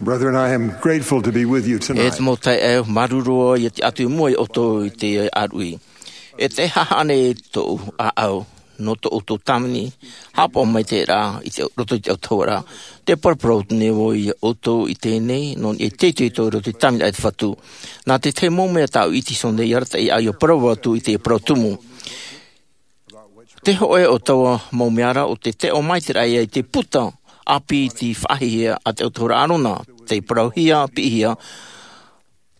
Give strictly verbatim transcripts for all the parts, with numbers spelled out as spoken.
Brethren, I am grateful to be with you tonight. E te mau taeaʻe, māuruuru au ia tiʻa atu i mua ia ʻoutou i te ʻāruʻi. E te haʻahaʻa nei tōʻu ʻāʻau, nō tō ʻoutou tāvini, haʻapaʻo maitaʻi ra i te roto i te autahuʻaraʻa. Te paraparau atu nei vau ia ʻoutou i teie nei, nō niʻa i te itoito i roto i te tāvini a te Fatu. Nā te tahi mau mea tāʻu i ʻite iho nei, i arataʻi ia parau atu i te parau tumu. Te hōʻē o taua mau mea ra, ʻo te taʻo maitaʻi ra ia i te puta ʻāpī i te faʻahiahia a te autahuʻaraʻa Arona, tei parauhia, piʻihia,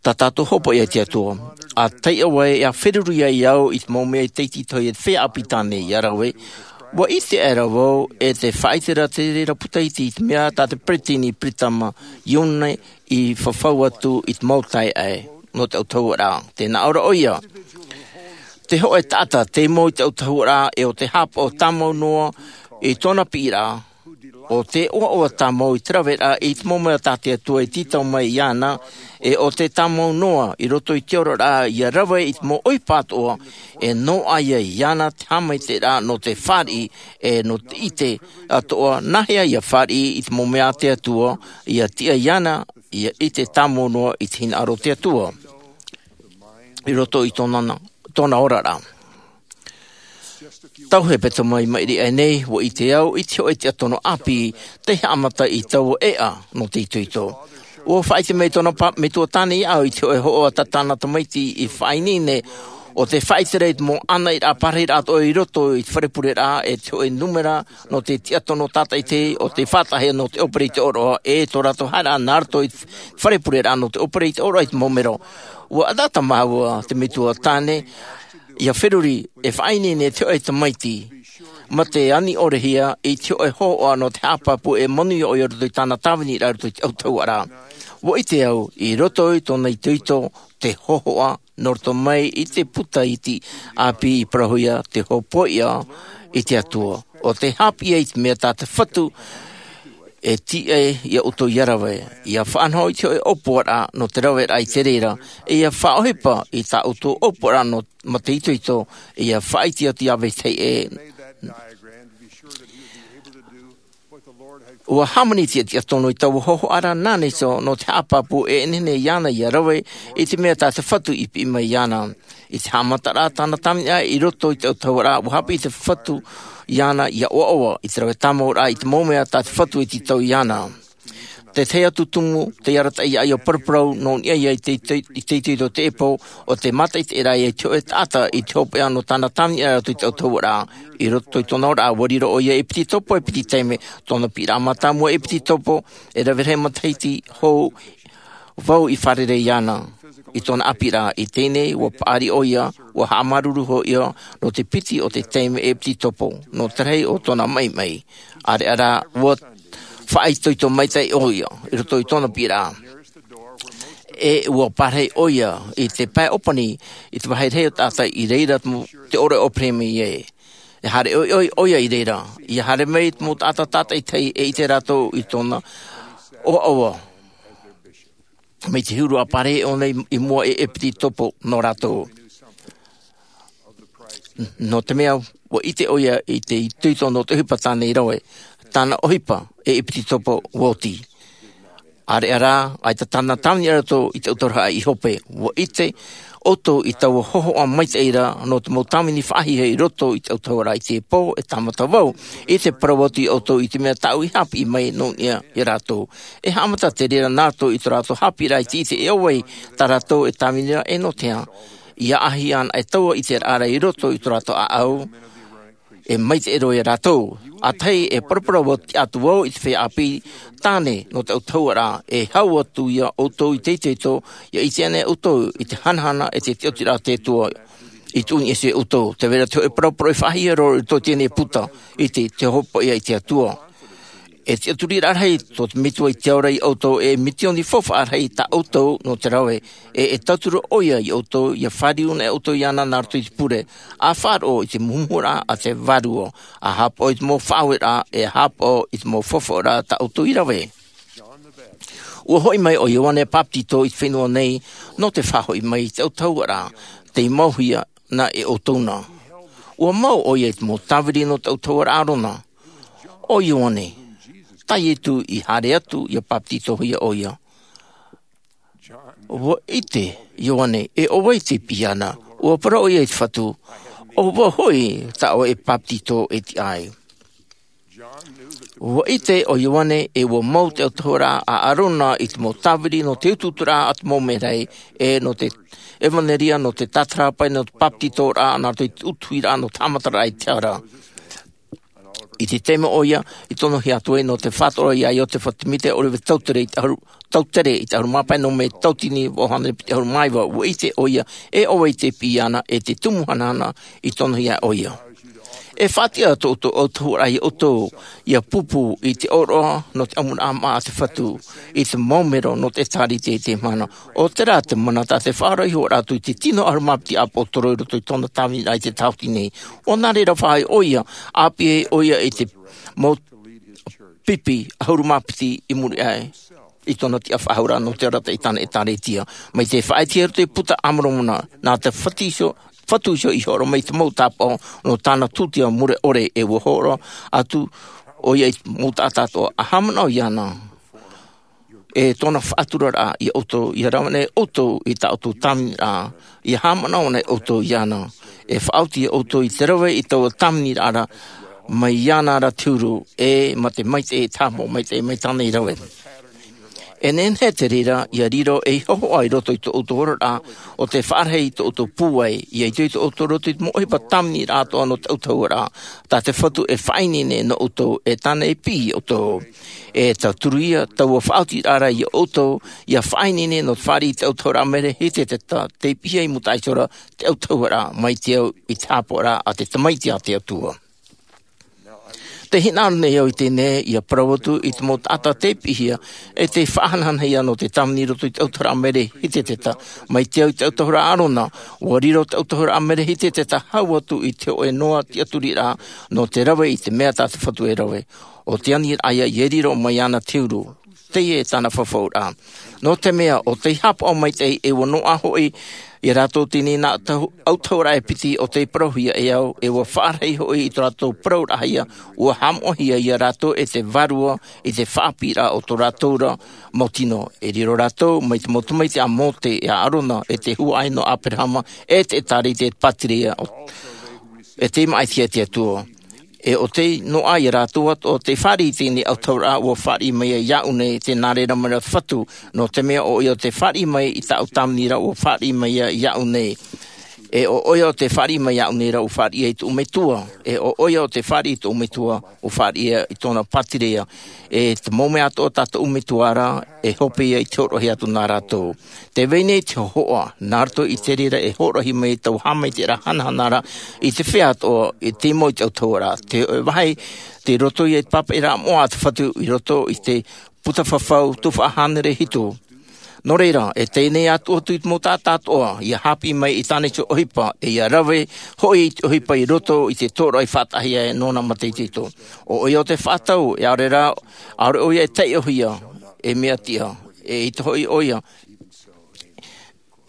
tā tātou hopoiʻa i te Atua. ʻA taiʻo ai, ʻa feruri ai au i te mau mea i te tītau i te feiā ʻāpī tāne ia rave. ʻUa ʻite aʻera vau, e te faʻaʻite ra te reira puta iti i te mea tā te peresideni Peretama Iune i fafau atu i te mau taeaʻe nō te autahuʻaraʻa. Tē nā ʻō ra ʻoia. Te hōʻē taʻata, tei mau i te autahuʻaraʻa, e ʻo te haʻapaʻo tāmau noa i tōna piʻiraʻa, ʻo tē ʻoaʻoa tāmau i te raveraʻa i te mau mea tā te Atua i tītau mai iāna, e ʻo tē tāmau noa i roto i te oraraʻa ia rave i te mau ʻohipa atoʻa, e noaʻa ia iāna te haʻamaitaʻiraʻa nō te fāriʻi, e nō te ʻite atoʻa, nāhea ia fāriʻi i te mau mea a te Atua, ia tiʻa iāna, ia ʻite tāmau noa i te hinaʻaro o te Atua i roto i tōna, tōna oraraʻa. Tau hepetoma i maʻiri aʻe nei, ʻua ʻite au i te hōʻē tiʻatono ʻāpī tei haʻamata i taua ʻēʻa nō te itoito. ʻUa faʻaʻite mai tōna pa-, metua tāne iāʻu i te hōʻē hōhoʻa tā tāna tamaiti i faʻaineine, ʻo te faʻaʻite ra i te mau ʻānaʻiraʻa pārahiraʻa atoʻa i roto i te fare pureraʻa, e te hōʻē nūmera nō te tiʻatono tātaʻitahi, ʻo te faʻataʻahia nō te ʻōpere i te ʻōroʻa, e tō rātou haereraʻa nā roto i te fare pureraʻa nō te ʻōpere i te ʻōroʻa i te mau mero. ʻUa ʻataʻata māua te metua tāne, ia feruri e faʻaineine i te hōʻē tamaiti, mā te ani ʻore hia i te hōʻē hōhoʻa nō te haʻapāpū e manuia ʻoia i roto i tāna tāviniraʻa i roto i te autahuʻaraʻa. ʻUa ʻite au, i roto i tōna itoito, te hōhoʻa, nō roto mai i te puta iti ʻāpī i parauhia te hopoiʻa i te Atua. ʻO te haʻapiʻi i te mea tā te Fatu e tiʻa ia ʻoutou ia rave, ia faʻanaho i te hōʻē ʻōpuaraʻa nō te raveraʻa i te reira, e ia faʻaʻohipa i tā ʻoutou ʻōpuaraʻa nō, mā te itoito, e ia faʻaʻite atu iā vetahi ʻē. ʻUa hāmani te tiʻatonu i taua hōhoʻa ra nā Neiso nō te haʻapāpū e nehenehe iāna ia rave i te mea tā te Fatu i piʻi mai iāna. I te haʻamataraʻa tāna tāviniraʻa i roto i te autahuʻaraʻa, ʻua haʻapiʻi te Fatu iāna ia ʻoaʻoa i te rave tāmauraʻa i te mau mea tā te Fatu i tītau iāna. Te tahi atu tumu, tei arataʻi ia paraparau nō niʻa ia i te, te, i te itoito teie pō, ʻo te mātaʻitaʻiraʻa i te hōʻē taʻata i te hopeʻa nō tāna tāviniraʻa i roto i te autahuʻaraʻa. I roto i tōna oraraʻa, ʻua riro ʻoia ei piti topo, ei piti taime, tōna piʻiraʻa mātāmua ei piti topo, e rave rahi matahiti hou vau i fārerei iāna. I tōna ʻāpīraʻa i teie nei, ʻua paʻari ʻoia, ʻua haʻamāuruuru hoʻi ʻoia, nō te piti o te taime ei piti topo, nō te rahi o tōna maʻimaʻi. ʻĀreʻa rā, ʻua faʻaitoito maitaʻi ʻoia, i roto i tōna piʻiraʻa. E ʻua pārahi ʻoia i te pae ʻōpani, i te vāhi rahi o taʻata i reira te mo-, te ʻōroʻa o Peremi ē. E haere ʻoiʻoi ʻoia i reira, ia haere mai te mau taʻata tātaʻitahi e ʻite rātou i tōna ʻoaʻoa. Mai te huru ʻa pārahi ʻōna i, i mua e ʻepititopo nō rātou. Nō te mea, ʻua ʻite ʻoia i te itoito nō te ʻohipa tāna i rave, tāna ʻohipa e ʻepititopo ʻua oti. ʻĀreʻa rā, ʻaita tāna tāvini ʻē atu i te autahuʻaraʻa i hope, ʻua ʻite ʻoutou i taua hōhoʻa maitaʻi ra nō te mau tāvini faʻahiahia i roto i te autahuʻaraʻa i teie pō, e tāmata vau i te parau atu ia ʻoutou i te mea tāʻu i haʻapiʻi mai nō niʻa ia rātou. E haʻamata te reira nā rātou i tō rātou haʻapiʻiraʻa i te ʻite e ʻo vai tā rātou e tāvini ra e nō te aha. ʻIa ʻāʻahi ana e taua ʻiteraʻa ra i roto i tō rātou ʻāʻau, e maitaʻi roa ia rātou. ʻA tahi e paraparau atu vau i te feiā ʻāpī tāne nō te autahuʻaraʻa, e hau atu ia ʻoutou i te itoito, ʻia ʻite ana ʻoutou i te hanahana e te tiʻaturiraʻa o te Atua i tuʻu i niʻa iho ia ʻoutou. Tē vai ra te hōʻē paraparau e faʻahiahia roa i roto i teie nei puta, ʻite, te hopoiʻa i te Atua. E tiʻaturiraʻa rahi tō te Metua i te ao ra ia ʻoutou, e mitioni faufaʻa rahi tā ʻoutou nō te rave, e, e tauturu ʻoia ia ʻoutou, ʻia fāriu ana ʻoutou iāna nā roto i te pure, ʻa faʻaroʻo i te muhumuhuraʻa a te Vārua, ʻa haʻapaʻo i te mau faʻaueraʻa, e haʻapaʻo i te mau faufaʻaraʻa tā ʻoutou i rave. ʻUa hoʻi mai ʻo Ioane Bapetito i te fenua nei, nō te faʻahoʻi mai i te autahuʻaraʻa, tei mauhia na e ʻoutou na. ʻUa mau ʻoia i te mau tāviri nō te autahuʻaraʻa Arona. ʻO Ioane, tā iesu i haere atu ia bāpetizohia ʻoia. Ua ʻite ioane e ʻo vai te piʻi ana. Ua parau ʻoia i te fatu, ʻo vai hoʻi tā ʻoe e bāpetizo e tiʻa ai? Ua ʻite ʻo ioane e ua mau te autahuʻaraʻa a arona i te mau tāviri nō te utuuturaʻa a te mau merahi, e nō te ʻevanelia, nō te tātarahapa, nō te bāpetizoraʻa nā roto i te utuhiraʻa nō te haʻamataraʻa i te hara. I te taime ʻoia i tonohia atu ai nō te faʻaroʻo ia iosepha semita ʻo rave tautere i te ʻahuru, tautere i te ʻahuru mā pae nō mē tautini vaʻu hānere piti ʻahuru mā iva, ua ʻite ʻoia e ʻo vai te piʻi ana e te tumu hanahana i tonohia ʻoia. E faʻatiʻa tō ʻoutou autahuʻaraʻa ia ʻoutou ia pūpū i te ʻōroʻa nō te ʻamuraʻa maʻa a te fatu i te mau mero nō te ʻēkālesia i teie mahana. ʻO terā te mana tā te faʻaroʻo iho atu i te tino ʻahuru mā piti ʻāpōsetolo i roto i tōna tāviniraʻa i te tāhuti nei. ʻO nā reira faʻaʻite ʻoia, ʻāpī ʻoia i te mau pipi ʻahuru mā piti i muri aʻe i tōna tiʻa faʻahou nō te arataʻi i tāna ʻēkālesia. Mai te faʻaʻitehia i roto i te puta a moromona, nā te fatu iho, fatu iho i horo mai i te mau tāpaʻo nō tāna tūtia mure ʻore, e ua horo atu ʻoia i te mau taʻata atoʻa a haʻamanaʻo iāna. E tōna faʻaturaraʻa ia ʻoutou ia rave nei ʻoutou i tā ʻoutou tāviniraʻa, ia haʻamanaʻo nei ʻoutou iāna. E faʻaoti ia ʻoutou i te rave i taua tāviniraʻa ra mai iāna ra te huru, e mā te maitaʻi e tāpaʻo maitaʻi mai tāna i rave. E nehenehe te reira ia riro ei hōhoʻa i roto i tō ʻoutou oraraʻa ʻo te faʻarahi i tō ʻoutou pūai ia ʻite i tō ʻoutou roto i te mau ʻohipa tāviniraʻa atoʻa nō te autahuʻaraʻa tā te fatu e faʻaineine nō ʻoutou e tāna e piʻi ʻoutou. E tauturu ia taua faʻaotiraʻa ia ʻoutou ia faʻaineine nō te fāriʻi i te autahuʻaraʻa maitaʻi i te tahi, tei piʻihia i mūtaʻa iho ra te autahuʻaraʻa mai te au i te haʻapaʻoraʻa a te tamaiti a te atua. Tē hinaʻaro nei au i teie nei ia parau atu i te mau taʻata tei piʻihia e tei faʻahanahanahia nō te tāvini i roto i te autahuʻaraʻa maitaʻi i te tahi, mai te au i te autahuʻaraʻa a arona. Ua riro te autahuʻaraʻa maitaʻi i te tahi hau atu i te hōʻē noa tiʻaturiraʻa nō te rave i te mea tā te fatu e rave. ʻO te aniraʻa ia e riro mai iāna te huru. Teie e tāna fafauraʻa. Nō te mea ʻo tei haʻapaʻo maitaʻi e ua noaʻa hoʻi ia rātou teie nei nā autahuʻaraʻa e piti ʻo tei parauhia e au, e ua faʻarahi hoʻi i tō rātou parauraʻahia, ua haʻamoʻahia ia rātou e te vārua i te faʻaʻāpīraʻa o tō rātou ra mau tino. E riro rātou mai te mau tamaiti a mose, a arona, e te huaʻai nō aberahama, e te ʻēkālesia, e te pātireia, e tei māʻitihia e te atua. E ʻo tei noaʻa ia rātou atoʻa tei fāriʻi i teie nei autahuʻaraʻa ua fāriʻi mai ai iāʻu nei, tē nā reira mai ra te fatu. Nō te mea ʻo ʻoia ʻo tei fāriʻi mai i tāʻu tāviniraʻa ua fāriʻi mai ai iāʻu nei. E ʻo ʻoia ʻo tei fāriʻi mai iāʻu nei ra ua fāriʻi ai i tōʻu metua. E ʻo ʻoia ʻo tei fāriʻi i tōʻu metua ua fāriʻi ai i tōna pātireia. E te mau mea atoʻa tā tōʻu metua ra e hope ia i te hōroʻahia atu nā rātou. Tē vai nei te hōhoʻa nā roto i te reira e hōroʻahia mai taua haʻamaitaʻiraʻa hanahana ra i te feiā atoʻa i te mau i te autahuʻaraʻa. Te hōʻē vāhi tei roto ia i te pāpaʻiraʻa moʻa a te fatu i roto i te puta fafau tuhaʻa hānere hitu. Nō reira, e teie nei atu atu i te mau taʻata atoʻa ia haʻapiʻi mai i tāna iho ʻohipa, e ia rave hoʻi i te ʻohipa i roto i te tōroʻa i faʻataʻahia e nōna mātaʻitaʻi. ʻO ʻoia ʻo tei faʻatau, e ʻaore rā, ʻaore ʻoia e taiʻohia ei mea tiʻa, e ʻaita hoʻi ʻoia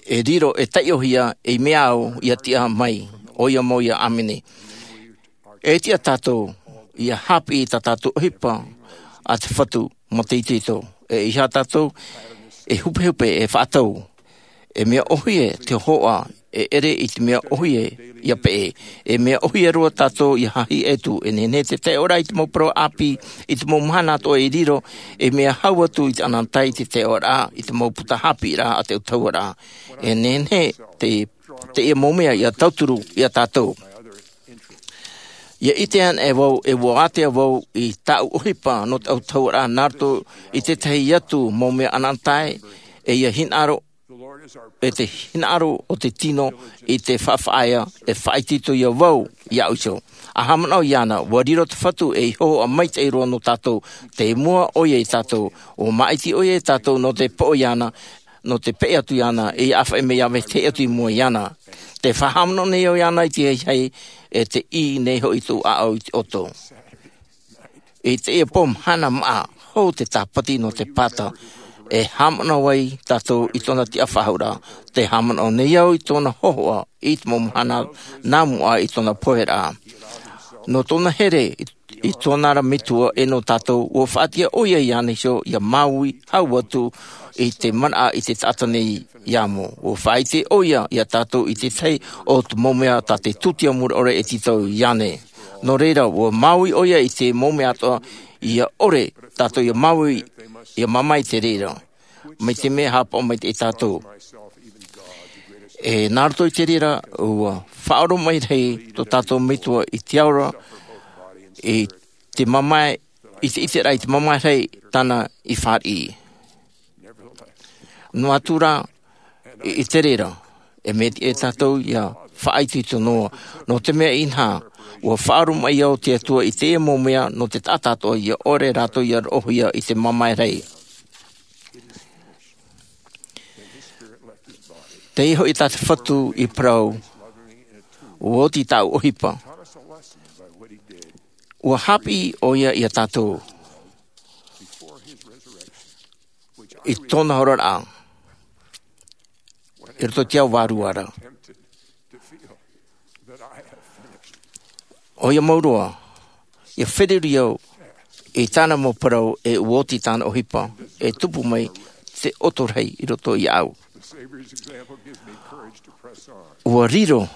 e riro e taiʻohia ei mea au ia tiʻa mai. ʻOia mau ia, ʻāmene. E tiʻa tātou ia haʻapiʻi i tā tātou ʻohipa a te fatu mātaʻitaʻi. E ʻeiaha tātou e hupehupe e faʻatau e mea ʻōhie te hōhoʻa, e ʻere i te mea ʻōhie ia peʻe. E mea ʻōhie roa tātou ia haʻahiʻo atu. E nehenehe te taiʻoraʻa i te mau parau ʻāpī i te mau mahana atoʻa e riro ei mea hau atu i te ʻanaʻanatae i te taiʻoraʻa i te mau puta haʻapiʻiraʻa a te autahuʻaraʻa. E nehenehe te, teie mau mea ia tauturu ia tātou. Ia ʻite ana e vau e ua ātea vau i tāʻu ʻohipa nō te autahuʻaraʻa nā roto i te tahi atu mau mea ʻanaʻanatae, e ia hinaʻaro, e te hinaʻaro o te tino i te faʻafaʻaea. E faʻaitoito ia vau iāʻu iho. A haʻamanaʻo iāna, ua riro te fatu ei hōhoʻa maitaʻi roa nō tātou. Tei mua ʻoia ia tātou, ua māʻiti ʻoia ia tātou nō te poʻo iāna, nō te peʻe atu iāna, e ia ʻāfaʻi mai ia vetahi atu i mua iāna. Te faʻahaʻamanaʻo nei au iāna i te ahiahi, e te ʻī nei hoʻi tōʻu ʻāʻau i te ʻoto. I teie pō mahana maʻa, hou te tāpati nō te pata, e haʻamanaʻo ai tātou i tōna tiʻa faʻahou ra. Te haʻamanaʻo nei au i tōna hōhoʻa i te mau mahana nā mua i tōna poheraʻa. Nō tōna here i i tōna ra metua e nō tātou, ua faʻatiʻa ʻoia iāna iho ia māuiui hau atu i te manaʻo i te taʻata nei ia mau. Ua faʻaʻite ʻoia ia tātou i te tahi o te mau mea tā te tūtia mure ʻore e tītau iāna. Nō reira, ua māuiui ʻoia i te mau mea atoʻa ia ʻore tātou ia māuiui, ia mamae i te reira. Mai te mea e haʻapaʻo mai i tātou. E nā roto i te reira, ua faʻaoromaʻi rahi tō tātou metua i te ao ra, i te mamae, i te, i te, i te mamae rahi tāna i fāriʻi. Noa atu rā, i, i te reira, e mea tiʻa tātou ia faʻaitoito noa, nō te mea inaha, ua faʻaoromaʻi au te Atua i teie mau mea nō te taʻata atoʻa ia ʻore rātou ia roʻohia i te mamae rahi. Teie hoʻi tā te Fatu i parau, ua oti tāʻu ʻohipa. Ua haʻapiʻi ʻoia ia tātou i tōna oraraʻa i roto i te ao vārua ra. ʻOia mau roa, ia feruri au i tāna mau parau e ua oti tāna ʻohipa, e tupu mai te ʻoto rahi i roto iāʻu. Ua riro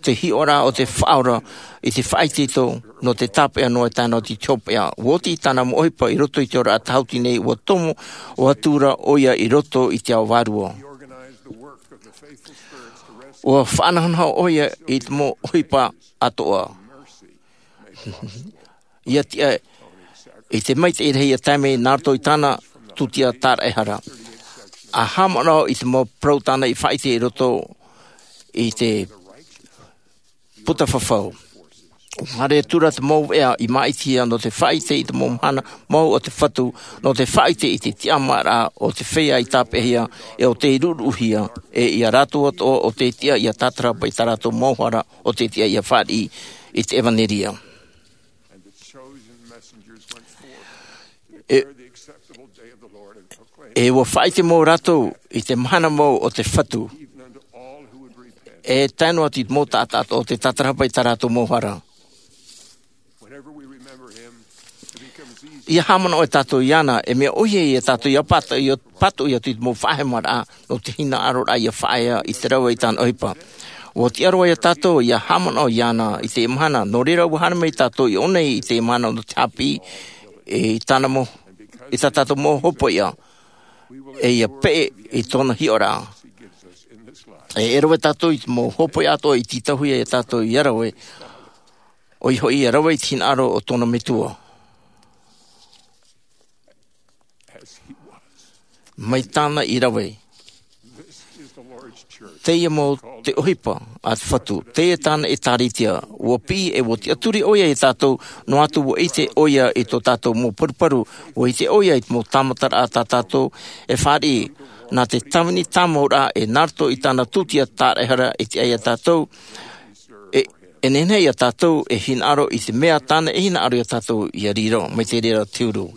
te hiʻoraʻa o te Faʻaora i te faʻaitoito nō te tāpeʻa noa i tāna oti te hopeʻa. Ua oti tāna mau ʻohipa i roto i te oraraʻa tāhuti nei, ua tomo, ua tū ra ʻoia i roto i te ao vārua. Ua faʻanahonaho ʻoia i te mau ʻohipa atoʻa. Ia tiʻa i te maitaʻi rahi ia tae mai nā roto i tāna tūtia tāraʻehara. ʻA haʻamanaʻo i te mau parau tāna i faʻaʻite i roto i te puta fafau. Haere atu ra te mau veʻa i māʻitihia nō te faʻaʻite i te mau mahana mau o te Fatu, nō te faʻaʻite i te tiʻamāraʻa o te feiā i tāpeʻahia, e ʻo tei ruʻuruʻuhia, e ia rātou atoʻa ʻo tei tiʻa ia tātarahapa i tā rātou mau hara, ʻo tei tiʻa ia fāriʻi i te ʻevaneria. E, e ua faʻaʻite mau rātou i te mahana mau o te Fatu, e tae noa atu i te mau taʻata atoʻa ʻo tei tātarahapa i tā rātou mau hara. Ia haʻamanaʻo e tātou iāna, e mea ʻohie ia tātou ia pātoʻi, ia pātoʻi atu i te mau faʻahemaraʻa nō te hinaʻaroraʻa ia faʻaea i te rave i tāna ʻohipa. Ua tiʻa roa ia tātou ia haʻamanaʻo iāna i teie mahana, nō reira ua haere mai tātou i ʻō nei i teie mahana nō te haʻapiʻi i tāna mau, i tā tātou mau hopoiʻa, e ia peʻe i tōna hiʻoraʻa. E, e rave tātou i te mau hopoiʻa atoʻa i tītauhia ia tātou ia rave, ʻoia hoʻi ia rave i te hinaʻaro o tōna Metua. Mai tāna i rave. Teie mau te ʻohipa a te Fatu, teie tāna ʻĒtārētia, ua piʻi e ua tiʻaturi ʻoia ia tātou, noa atu ua ʻite ʻoia i tō tātou mau paruparu, ua ʻite ʻoia i te mau tāmataraʻa tā tātou e fāriʻi, nā te tāvini tāmauraʻa e nā roto i tāna tūtia tāraʻehara e tiʻa ia tātou, e, e nehenehe ia tātou e hinaʻaro i te mea tāna e hinaʻaro ia tātou ia riro, mai te reira o te huru.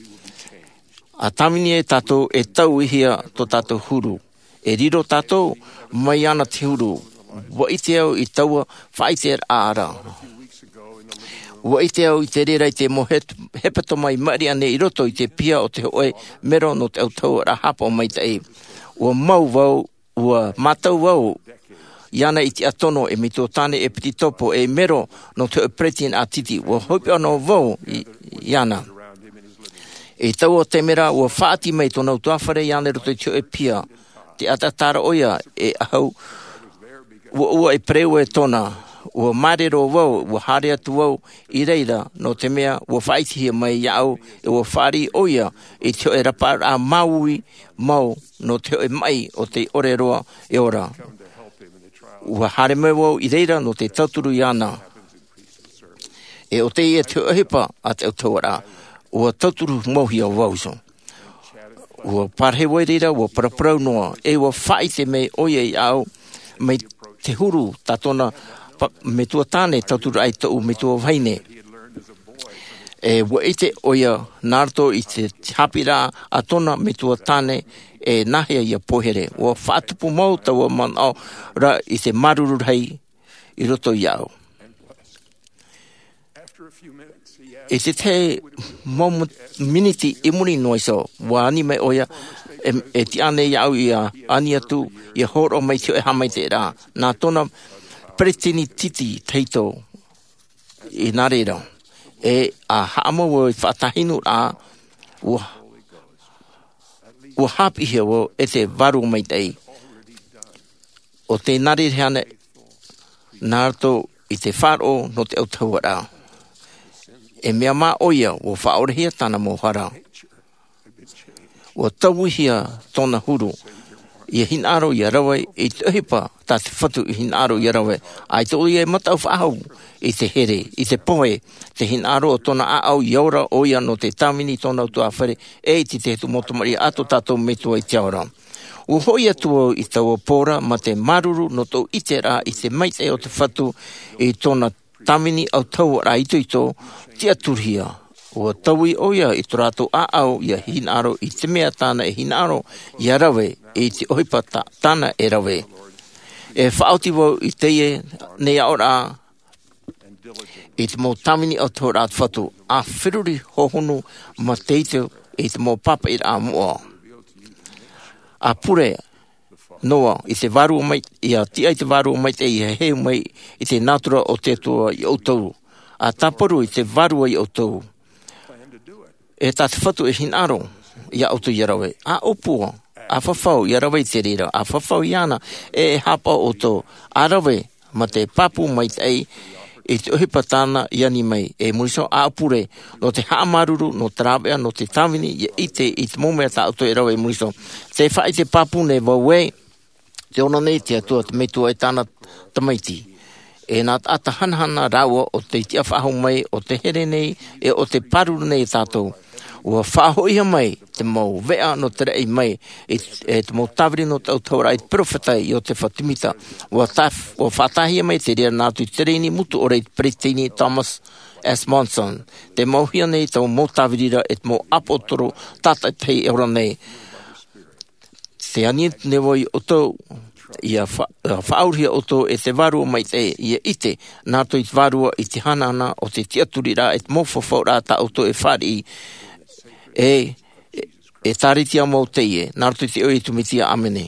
ʻA tāvini e tātou e tauihia tō tātou huru. E riro tātou mai iāna te huru. Ua ʻite au i taua faʻaʻiteraʻa ra. Ua ʻite au i te reira i te mau het-, hepetoma i maʻiri aʻe nei i roto i te piha o te hōʻē mero nō te autahuʻaraʻa haʻapaʻo maitaʻi. Ua mau vau, ua mātau vau iāna i te tiʻa tono, e metua tāne, e ʻepitopo, e mero nō te hōʻē peretiteni ʻātiti. Ua hopeʻa noa vau i, iāna. I taua taime ra, ua faʻaoti mai tōna ʻutuāfare iāna i roto i te hōʻē piha. Te ʻataʻata ra ʻoia e ʻahu, ua, ua e pereue tōna. Ua māere roa vau, ua haere atu vau i reira, nō te mea ua faʻaʻitehia mai iāʻu, e ua fāriʻi ʻoia i te hōʻē rapaʻaraʻa māuiui mau nō te hōʻē maʻi ʻo tei ʻore roa e ora. Ua haere mai vau i reira nō te tauturu iāna. E ʻo teie te hōʻē ʻohipa a te autahuʻaraʻa, ua tauturu mauhia vau iho. Ua parahi vau i reira, ua paraparau noa, e ua faʻaʻite mai ʻoia iāʻu, mai te huru tā tōna pa-, metua tāne tauturu ai tōʻu metua vahine. E ua ʻite ʻoia nā roto i te haʻapiʻiraʻa a tōna metua tāne, e nāhea ia poihere. Ua faʻatupu mau taua manaʻo ra i te māuruuru rahi i roto iāʻu. I te tahi mau miniti i muri noa iho, ua ani mai ʻoia, e tiʻa nei iāʻu ia ani atu ia hōroʻa mai i te hoʻe haʻamaitaʻiraʻa nā tōna peresideni titi tahito. I nā reira, e a haʻamau i faʻatahinuraʻa, ua hāpiʻihia vau e te vārua maitaʻi o te nā reira hea nei nā roto i te faʻaroʻo nō te autahuʻaraʻa. E mea mā ʻoia ua faʻaorehia tāna mau hara. Ua tauihia tōna huru ia hinaʻaro ia rave i te ʻohipa tā te fatu i hinaʻaro ia rave. ʻAita ʻoia e mataʻu faʻahou i te here i te pohe te hinaʻaro o tōna ʻāʻau ia ora ʻoia nō te tāvini i tōna utuāfare, e i te tahi mau tamariʻi a tō tātou metua i te ao ra. Ua hoʻi atu vau i taua pō ra mā te māuruuru nō tōʻu ʻiteraʻa i te maitaʻi o te fatu i tōna tāvini autahuʻaraʻa itoito tiʻaturihia. Ua taui ʻoia i tō rātou ʻāʻau ia hinaʻaro i te mea tāna e hinaʻaro ia rave i te ʻohipa tāna e rave. E faʻaoti vau i teie nei aʻoraʻa i te mau tāvini autahuʻaraʻa a te fatu, a feruri hohonu mā te ʻite i te mau pāpaʻiraʻa moʻa. A pure noa i te vārua mai ia tiʻa i te vārua maitaʻi ia heu mai i te nātura o te atua ia ʻoutou, a tāparu i te vārua ia ʻoutou. E tā te fatu e hinaʻaro ia ʻoutou ia rave, a ʻōpua, a fafau ia rave i te reira, a fafau iāna, e e hāpaʻo ʻoutou, a rave mā te pāpū maitaʻi i te ʻohipa tāna i ani mai. E muri iho a pure nō te haʻamāuruuru nō te rāveʻa nō te tāvini ia ʻite i te mau mea tā ʻoutou e rave i muri iho. Te faʻaʻite pāpū nei vau ē, te ora nei te atua te metua e tāna tamaiti, e nā taʻata hanahana rāua o te tiʻa faʻahou mai o te here nei e o te pāruru nei e tātou. Ua faʻahoʻihia mai te mau veʻa nō te raʻi mai e te mau tāviri nō te autahuʻaraʻa i te peropheta iosepha semita. Ua faʻataʻahia mai te reira nā roto i te tereini mutu ʻore i te peresideni thomas s monson. Te mauhia nei taua mau tāviri ra e te mau ʻāpōsetolo tātaʻitahi e ora nei. Te ani atu nei vau ia ʻoutou ia faʻaurahia ʻoutou e te vārua maitaʻi ia ʻite nā roto i te vārua i te hanahana o te tiʻaturiraʻa e te mau fafauraʻa tā ʻoutou e fāriʻi. E e tāritia mau teie nā roto i te ʻoe i te mesia ʻāmene.